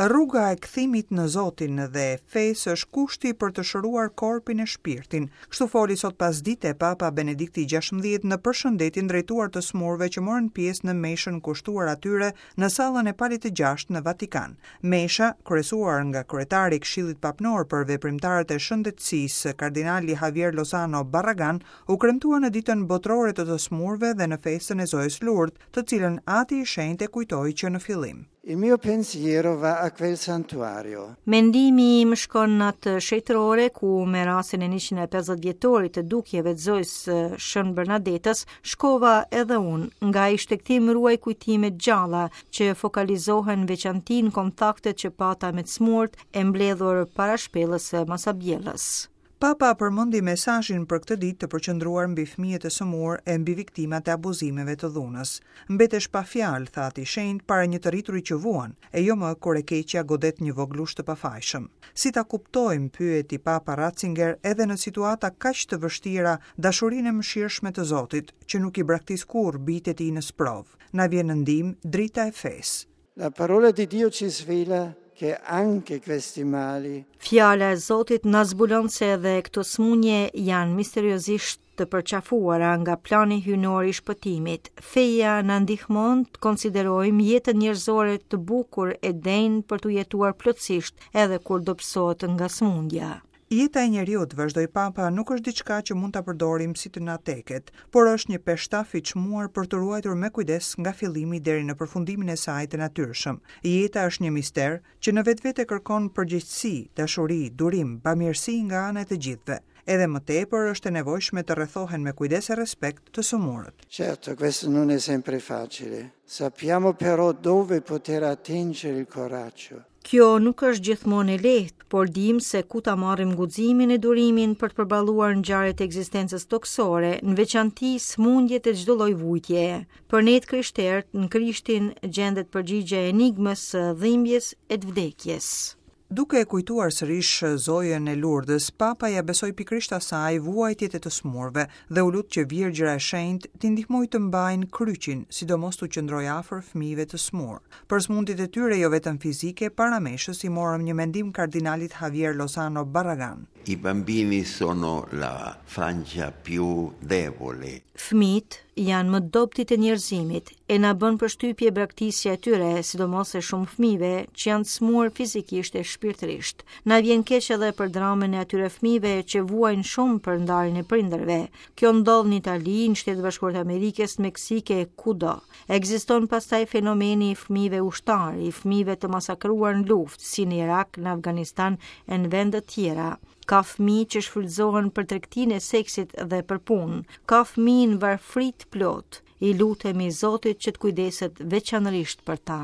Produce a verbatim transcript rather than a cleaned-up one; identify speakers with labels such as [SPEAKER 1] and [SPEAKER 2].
[SPEAKER 1] Rruga e kthimit në Zotin dhe fesë është kushti për të shëruar korpin e shpirtin. Kështu foli sot pasdite Papa Benedikti gjashtëmbëdhjetë në përshëndetjen drejtuar të smurve që morën pjesë në meshën kushtuar atyre në sallën e Palit të Gjashtë në Vatikan. Mesha, kryesuar nga kryetari i Këshillit Papnor për veprimtarët e shëndetësisë, kardinali Javier Lozano Barragan, u kremtua në ditën botërore të të smurve dhe në festën e Zojës Lourdes, të cilën Ati i Shenjtë e kujtoi që në fillim.
[SPEAKER 2] Il mio pensiero va a quel santuario.
[SPEAKER 3] Mendimi im shkon në atë shenjtërore ku me rastin e njëqind e pesëdhjetë vjetorit të dukjeve të Zojës së Shën Bernadetës shkova edhe unë. Nga ai shtegtim ruaj kujtime të gjalla që fokalizohen veçanti në kontaktet që pata me të smurt e mbledhur para shpellës së Masabjellës.
[SPEAKER 1] Papa përmendi mesazhin për këtë ditë të përqendruar mbi fëmijët e sëmurë e mbi viktimat e abuzimeve të dhunës. Mbetesh pa fjalë, tha Ati i Shenjtë, para një të rrituri që vuan, e jo më kur e keqja godet një vogëlush të pafajshëm. Si ta kuptojmë, pyeti Papa Ratzinger, edhe në situata kaq të vështira, dashurinë e mëshirshme të Zotit, që nuk i braktis kurrë bijtë e tij në sprovë. Na vjen në ndihmë drita e fesë.
[SPEAKER 2] La parola di Dio ci svela che anche questi mali
[SPEAKER 3] Fjala e Zotit na zbulon se edhe këto smunje janë misteriozisht të përqafuara nga plani hyjnor i shpëtimit. Feja na ndihmon të konsiderojmë jetën njerëzore të bukur e denjë për t'u jetuar plotësisht edhe kur dobësohet nga smundja.
[SPEAKER 1] Jeta e njeriut, vazhdoi Papa, nuk është diçka që mund ta përdorim si të na teket, por është një peshtaf i çmuar për të ruajtur me kujdes nga fillimi deri në përfundimin e saj të natyrshëm. Jeta është një mister që në vetvete kërkon përgjegjësi, dashuri, durim, bamirësi nga ana e të gjithëve. Edhe më tepër është e nevojshme të rrethohen me kujdes e respekt të sëmurët.
[SPEAKER 2] Certo, questo non è sempre facile. Sappiamo però dove poter attingere il coraggio.
[SPEAKER 3] Kjo nuk është gjithmonë e lehtë, por dim se ku ta marrim guximin e durimin për të përballuar ngjarjet e ekzistencës tokësore, në veçanti sëmundjet e çdo lloj vujtjeje. Për ne të krishterët, në Krishtin gjendet përgjigja e enigmës së dhimbjes e të vdekjes.
[SPEAKER 1] Duke e kujtuar sërish Zojën e Lourdes, Papa ja besoi pikërisht asaj vuajtjet e të smurve dhe u lut që Virgjëra e Shenjtë t'i ndihmojë të mbajnë kryqin, sidomos t'u qëndrojë afër fëmijëve të smur. Për sëmundjet e tyre jo vetëm fizike, para meshës i morëm një mendim kardinalit Javier Lozano Barragan.
[SPEAKER 4] I bambini sono la frangia più debole.
[SPEAKER 3] Fëmijët janë më dobëtit e njerëzimit e na bën përshtypje braktisja e tyre, sidomos e shumë fëmijëve që janë smur fizikisht e shpirtërisht. Na vjen keq edhe për dramën e atyre fëmijëve që vuajnë shumë për ndarjen e prindërve. Kjo ndodh në Itali, në Shtetet e Bashkuara të Amerikës, në Meksikë e kudo. Ekziston pastaj fenomeni i fëmijëve ushtar, i fëmijëve të masakruar në luftë, si në Irak, në Afganistan e në vende të tjera. Ka fëmijë që shfrytëzohen për tregtinë e seksit dhe për punë. Ka fëmijë në varfëri të plotë. I lutemi Zotit që të kujdeset veçanërisht për ta.